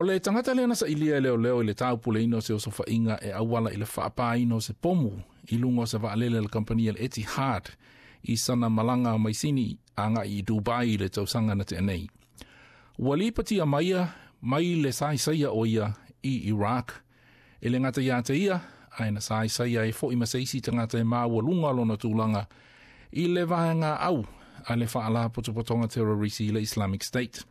O le tagata lea na sailia e leoleo i le taupuleina o se osofaiga e auala i le faapāina o se pomu i luga o se vaalele a le kamupani a le Etihad i sana malaga mai Sini agai i Dubai i le tausaga na tea nei. Ua lipotia maia mai le saisaia o ia i Iraq. E le gata ia te ia, ae na saisaia ai foi ma se isi tagata e maualuga lona tulaga i le vaega au a le faalapotopotoga terrorisi i le Islamic State.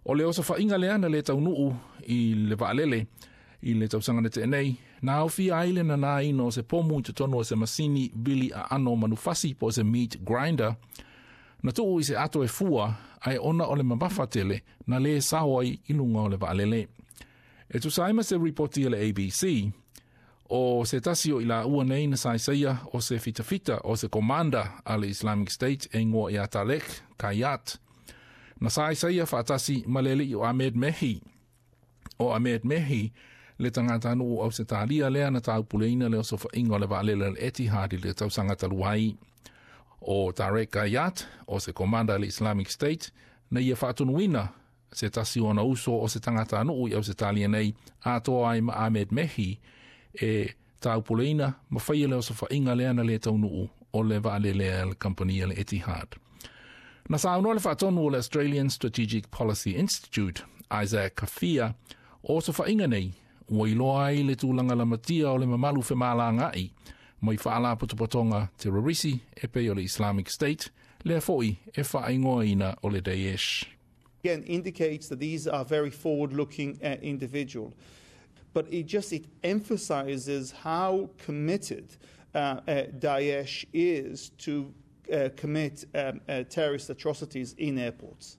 O le osofaiga lea na le taunuu i le vaalele i le tausaga na tea nei, na aofia ai le nanaina o se pomu i totonu o se masini vili aano manufasi po o se meat grinder, na tuu i se ato e fua, ae ona o le mamafa tele na le sao ai i luga o le vaalele. E tusa ai ma se ripoti a le ABC, o se tasi o i laua nei na saisaia o se fitafita o se komanda a le Islamic State e igoa ia Tarek Kayat. Na saisaia faatasi ma le alii o Ahmed Mehi. O Ahmed Mehi le tagatanuu o Ausetalia lea na taupuleina le osofaiga o le vaalele a le Etihad i le tausaga talu ai. O Tarek Kayat, o se komanda a le Islamic State, na ia faatonuina se tasi o ona uso o se tagatanuu i Ausetalia nei, atoa ai ma Ahmed Mehi, e taupuleina ma faia le osofaiga lea na le taunuu o le vaalele a le kamupani a le Etihad. Na saunoa le faatonu o le Australian Strategic Policy Institute, Isaac Kafia, o osofaiga nei, ua iloa ai le tulaga lamatia o le mamalu femalagaai mai faalapotopotoga terrorisi e pei o le Islamic State, lea foi e faaigoaina o le Daesh. Again, indicates that these are very forward-looking individuals. But it just it emphasizes how committed Daesh is to commit terrorist atrocities in airports.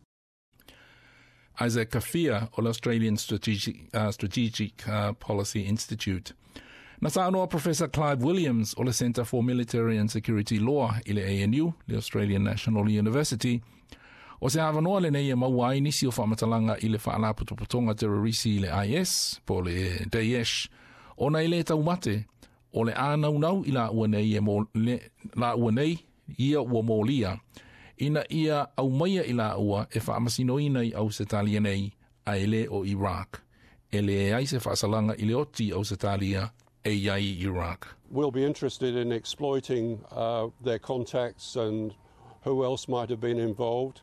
Isaac Kafia o le Australian Strategic Policy Institute. Na saunoa Professor Clive Williams o le Centre for Military and Security Law i le ANU, le Australian National University, o se avanoa lenei e maua ai nisi o faamatalaga i le faalapotopotoga terrorisi i le IS, po o le Daesh, ona e le taumate, o le ānaunau i laua nei, e mo, le, laua nei ia ua molia, ina ia aumaia i laua e faamasinoina i Ausetalia nei, ae le o Iraq. E leai se faasalaga i le oti Ausetalia e i ai i Iraq. We'll be interested in exploiting their contacts and who else might have been involved.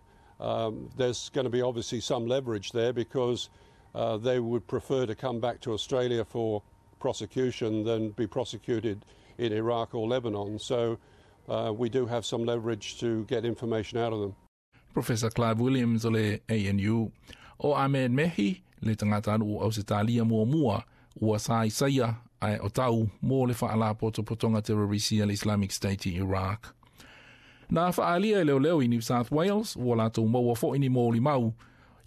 There's going to be obviously some leverage there because they would prefer to come back to Australia for prosecution than be prosecuted in Iraq or Lebanon. So we do have some leverage to get information out of them. Professor Clive Williams o le ANU. O Ahmed Mehi, le tagatanuu Ausetalia muamua, ua saisaia ae o tau mo le faalapotopotoga terrorisi a le Islamic State i Iraq. Na faaalia e leoleo i New South Wales, ua latou maua foi ni molimau,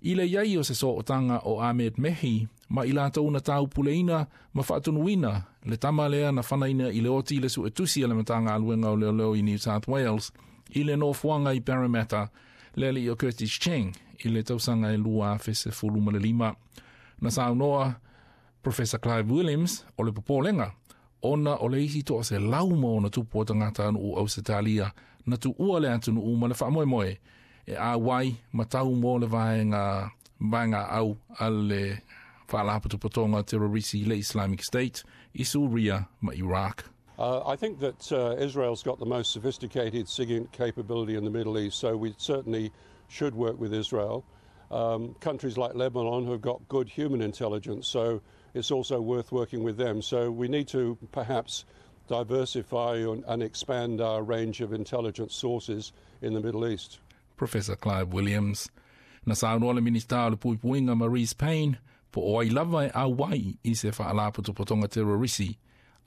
i le iai o se sootaga o Ahmed Mehi ma i latou na taupuleina ma faatonuina le tama lea na fanaina i le oti le suetusi a le Matagaluega o Leoleo i New South Wales i le nofoaga i Parramatta, le alii o Curtis Cheng i le tausaga e 2015. Na saunoa Professor Clive Williams o le popolega ona o le isi 100+ o tagatanuu Ausetalia na tuua le atunuu ma le faamoemoe e auai ma tau mo le vaega au a le faalapotopotoga terrorisi le Islamic State i Suria ma Iraq. I think that Israel's got the most sophisticated SIGINT capability in the Middle East, so we certainly should work with Israel. Countries like Lebanon have got good human intelligence, so it's also worth working with them. So we need to perhaps diversify and expand our range of intelligence sources in the Middle East. Professor Clive Williams. Na saunoa le Minista o le Puipuiga Marise Payne, po o ai lava e auai i se faalapotopotoga terrorisi,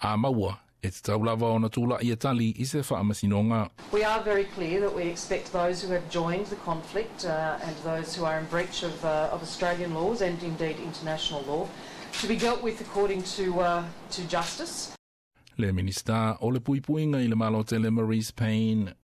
a maua e tatau lava ona tulai e tali i se faamasinoga. We are very clear that we expect those who have joined the conflict and those who are in breach of Australian laws and indeed international law to be dealt with according to justice. Le Minista o le Puipuiga i le Malo Tele Marise Payne.